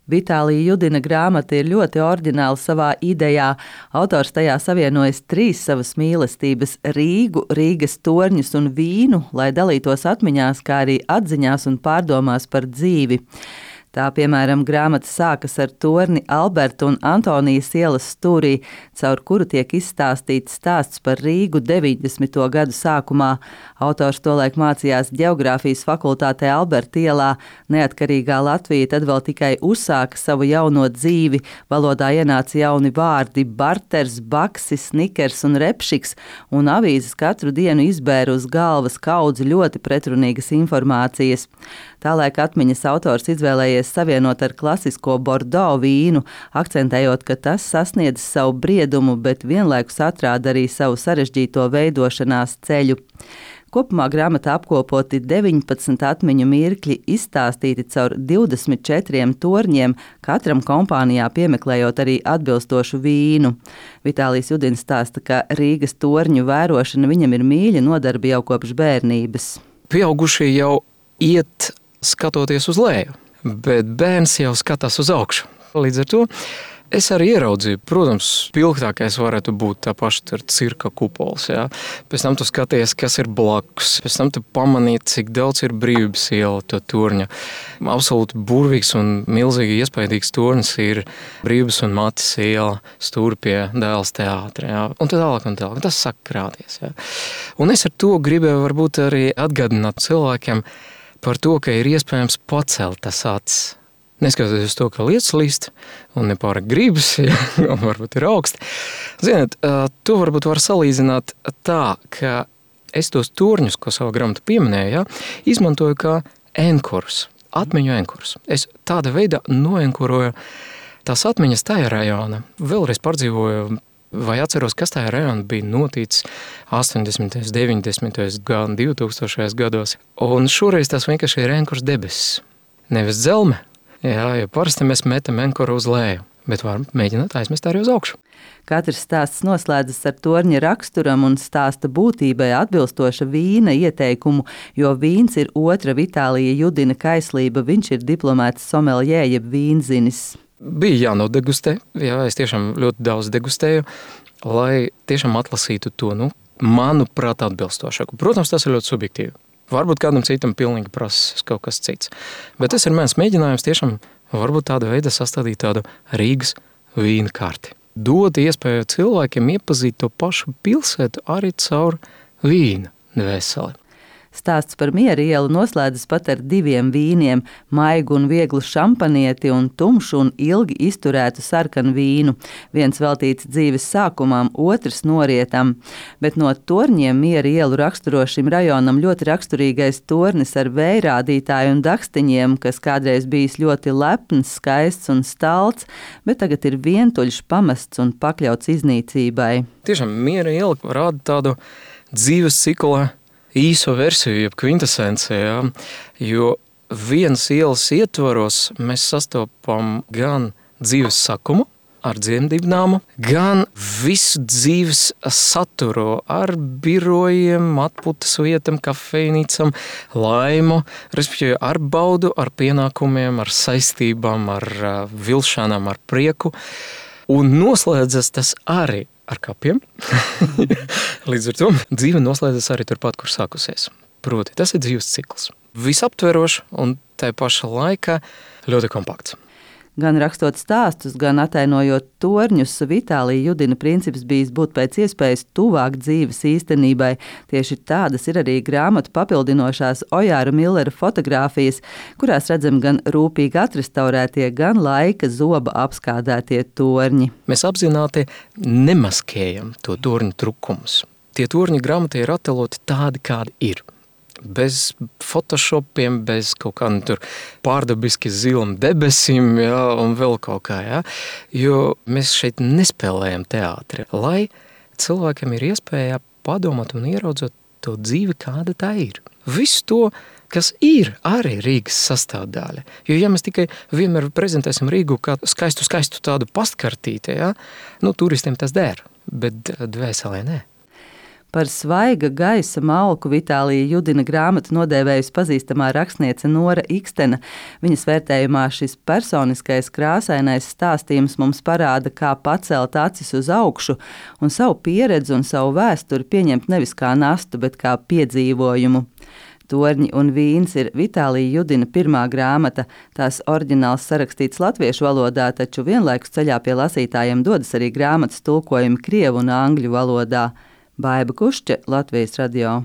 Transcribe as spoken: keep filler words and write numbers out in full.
Vitālija Judina grāmata ir ļoti oriģināla savā idejā. Autors tajā savienojas trīs savas mīlestības – Rīgu, Rīgas torņus un vīnu, lai dalītos atmiņās, kā arī atziņās un pārdomās par dzīvi. Tā, piemēram, grāmata sākas ar torni Alberta un Antonijas ielas stūrī, caur kuru tiek izstāstīts stāsts par Rīgu deviņdesmito gadu sākumā. Autors tolaik mācījās ģeogrāfijas fakultātē Alberta ielā. Neatkarīgā Latvija tad vēl tikai uzsāka savu jauno dzīvi. Valodā ienāca jauni vārdi – barters, baksi, snikers un repšiks, un avīzes katru dienu izbēra uz galvas kaudzi ļoti pretrunīgas informācijas. Tālaik atmiņas autors izvēlējies savienot ar klasisko Bordeaux vīnu, akcentējot, ka tas sasniedz savu briedumu, bet vienlaikus atrāda arī savu sarežģīto veidošanās ceļu. Kopumā grāmatā apkopoti deviņpadsmit atmiņu mirkļi, izstāstīti caur divdesmit četriem torņiem, katram kompānijā piemeklējot arī atbilstošu vīnu. Vitālijs Judins stāsta, ka Rīgas torņu vērošana viņam ir mīļa nodarbe jau kopš bērnības. Pieaugušie jau iet skatoties uz leju, bet bērns jau skatās uz augšu. Līdz ar to es arī ieraudzīju, protams, pilgtākais varētu būt tā paša cirka kupols. Jā. Pēc tam tu skaties, kas ir blakus. Pēc tam tu pamanīji, cik daudz ir Brīvības iela to torņa. Absolūti burvīgs un milzīgi iespaidīgs tornis ir Brīvības un Matis iela stūri pie Dēls teātra. Jā. Un tad tālāk un tālāk. Tas saka krāties. Jā. Un es ar to gribēju varbūt arī atgādināt cilvēkiem par to, ka ir iespējams pacelt tas acis. Neskatoties to, ka lietas līst un nepārāk gribas, ja, un varbūt ir augsti. Ziniet, to varbūt var salīdzināt tā, ka es tos torņus, ko savā grāmatā pieminēju, ja, izmantoju kā enkurus, atmiņu enkurus. Es tāda veidā noenkuroju tās atmiņas tajā rajona. Vēlreiz pārdzīvoju vai atceros, kas tajā rajonā bija noticis astoņdesmitajos, deviņdesmitajos, gan divtūkstošajos gados. Un šoreiz tas vienkārši ir enkurs debesis. Nevis dzelme. Jā, jo parasti mēs metam enkuru uz leju, bet varam mēģināt aizmest arī uz augšu. Katrs stāsts noslēdzas ar torņa raksturam un stāsta būtībai atbilstoša vīna ieteikumu, jo vīns ir otra Vitālija Judina kaislība, viņš ir diplomēts someljē jeb vīnzinis. Bija jānodegustē, jā, es tiešām ļoti daudz degustēju, lai tiešām atlasītu to, nu, manuprāt, atbilstošāku. Protams, tas ir ļoti subjektīvi. Varbūt kādam citam pilnīgi prasas kaut kas cits. Bet tas ir mans mēģinājums tiešām varbūt tāda veida sastādīt tādu Rīgas vīna karti. Dot iespēju cilvēkiem iepazīt to pašu pilsētu arī caur vīna dvēseli. Stāsts par Miera ielu noslēdzas pat ar diviem vīniem – maigu un vieglu šampanieti un tumšu un ilgi izturētu sarkanu vīnu. Viens veltīts dzīves sākumam, otrs norietam. Bet no torņiem Miera ielu raksturo šim rajonam ļoti raksturīgais tornis ar vējrādītāju un dakstiņiem, kas kādreiz bijis ļoti lepns, skaists un stalts, bet tagad ir vientuļš, pamests un pakļauts iznīcībai. Tiešām Miera iela rāda tādu dzīves cikla īso versiju, jeb kvintesenci, jā, jo vienas ielas ietvaros mēs sastopam gan dzīves sakumu ar dzemdībnāmu, gan visu dzīves saturu ar birojiem, atpūtas vietam, kafejnīcam, laimu, respektīvi ar baudu, ar pienākumiem, ar saistībām, ar vilšanām, ar prieku. Un noslēdzas tas arī ar kapiem. Līdz ar to dzīve noslēdzas arī turpat, kur sākusies. Proti, tas ir dzīves cikls. Visaptverošs un tai paša laikā ļoti kompakts. Gan rakstot stāstus, gan atainojot torņus, Vitālija Judina princips bijis būt pēc iespējas tuvāk dzīves īstenībai. Tieši tādas ir arī grāmatu papildinošās Ojāra Millera fotogrāfijas, kurās redzam gan rūpīgi atrestaurētie, gan laika zoba apskādētie torņi. Mēs apzināti nemaskējam to torņu trukumus. Tie torņi grāmatā ir attēloti tādi, kādi ir. Bez photoshopiem, bez kaut kādiem tur pārdabiski zilam debesīm, jā, un vēl kaut kā, jā. Jo mēs šeit nespēlējam teātri, lai cilvēkiem ir iespēja padomāt un ieraudzot to dzīvi, kāda tā ir. Visu to, kas ir arī Rīgas sastāvdaļa. Jo ja mēs tikai vienmēr prezentēsim Rīgu kā skaistu, skaistu tādu pastkartīti, jā, nu turistiem tas der, bet dvēselē nē. Par svaiga gaisa malku Vitālija Judina grāmatu nodēvējusi pazīstamā rakstniece Nora Ikstena. Viņas vērtējumā šis personiskais krāsainais stāstījums mums parāda, kā pacelt acis uz augšu un savu pieredzi un savu vēsturi pieņemt nevis kā nastu, bet kā piedzīvojumu. Torņi un vīns ir Vitālija Judina pirmā grāmata. Tās oriģināls sarakstīts latviešu valodā, taču vienlaikus ceļā pie lasītājiem dodas arī grāmatas tulkojumi krievu un angļu valodā. Baiba Kušķe, Latvijas radio.